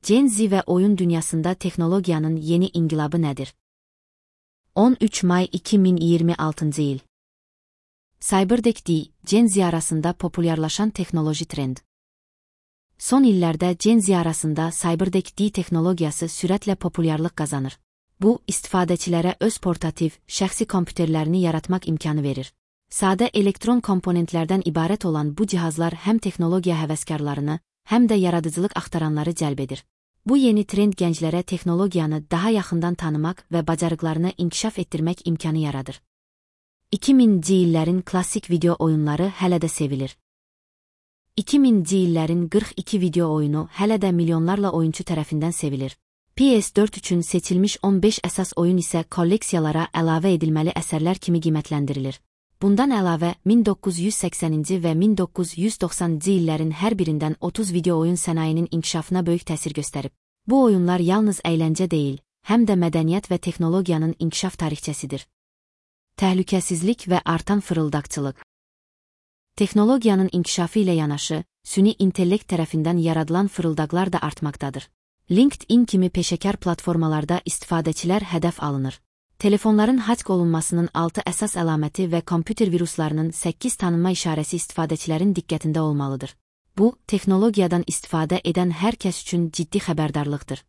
Gen Z ve oyun dünyasında teknolojiyanın yeni ingilabı nedir? 13 May 2026 yıl. Cyberdeck D, Gen Z arasında popülerlaşan teknoloji trend. Son illerde Gen Z arasında Cyberdeck D teknolojisi süratle popülerlik kazanır. Bu, istifadəçilərə öz portativ, şəxsi kompüterlərini yaratmak imkanı verir. Sade elektron komponentlerden ibaret olan bu cihazlar hem teknolojiya həvəskarlarını, hem de yaradıcılıq axtaranları cəlb edir. Bu yeni trend gənclərə teknolojiyanı daha yaxından tanımak ve bacarıqlarını inkişaf etdirmək imkanı yaradır. 2000'ci illərin klassik video oyunları hələ də sevilir. 2000'ci illərin 42 video oyunu hələ də milyonlarla oyuncu tərəfindən sevilir. PS4 üçün seçilmiş 15 əsas oyun isə kolleksiyalara əlavə edilməli əsərlər kimi qiymətləndirilir. Bundan əlavə, 1980-ci və 1990-cı illərin hər birindən 30 video oyun sənayinin inkişafına böyük təsir göstərib. Bu oyunlar yalnız əyləncə deyil, həm də mədəniyyət və texnologiyanın inkişaf tarixçəsidir. Təhlükəsizlik və artan fırıldaqçılıq. Texnologiyanın inkişafı ilə yanaşı, süni intellekt tərəfindən yaradılan fırıldaqlar da artmaqdadır. LinkedIn kimi peşəkar platformalarda istifadəçilər hədəf alınır. Telefonların hack olunmasının 6 əsas əlaməti və kompüter viruslarının 8 tanınma işarəsi istifadəçilərin diqqətində olmalıdır. Bu, texnologiyadan istifadə edən hər kəs üçün ciddi xəbərdarlıqdır.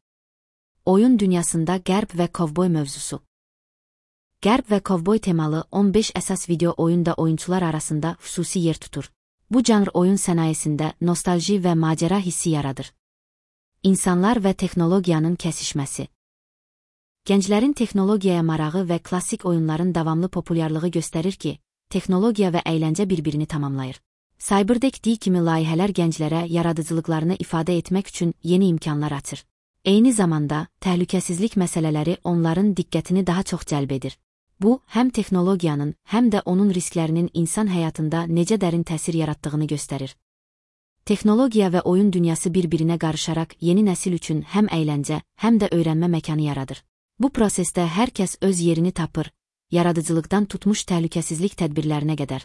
Oyun dünyasında qərb və kovboy mövzusu. Qərb və kovboy temalı 15 əsas video oyun da oyuncular arasında xüsusi yer tutur. Bu janr oyun sənayesində nostalji və macəra hissi yaradır. İnsanlar və texnologiyanın kəsişməsi. Gənclərin texnologiyaya marağı və klassik oyunların davamlı populyarlığı göstərir ki, texnologiya və əyləncə bir-birini tamamlayır. Cyberdeck D kimi layihələr gənclərə yaradıcılıqlarını ifadə etmək üçün yeni imkanlar açır. Eyni zamanda, təhlükəsizlik məsələləri onların diqqətini daha çox cəlb edir. Bu, həm texnologiyanın, həm də onun risklərinin insan həyatında necə dərin təsir yaratdığını göstərir. Texnologiya və oyun dünyası bir-birinə qarışaraq yeni nəsil üçün həm əyləncə, həm də öyrənmə məkanı yaradır. Bu prosesdə hər kəs öz yerini tapır, yaradıcılıqdan tutmuş təhlükəsizlik tədbirlərinə qədər.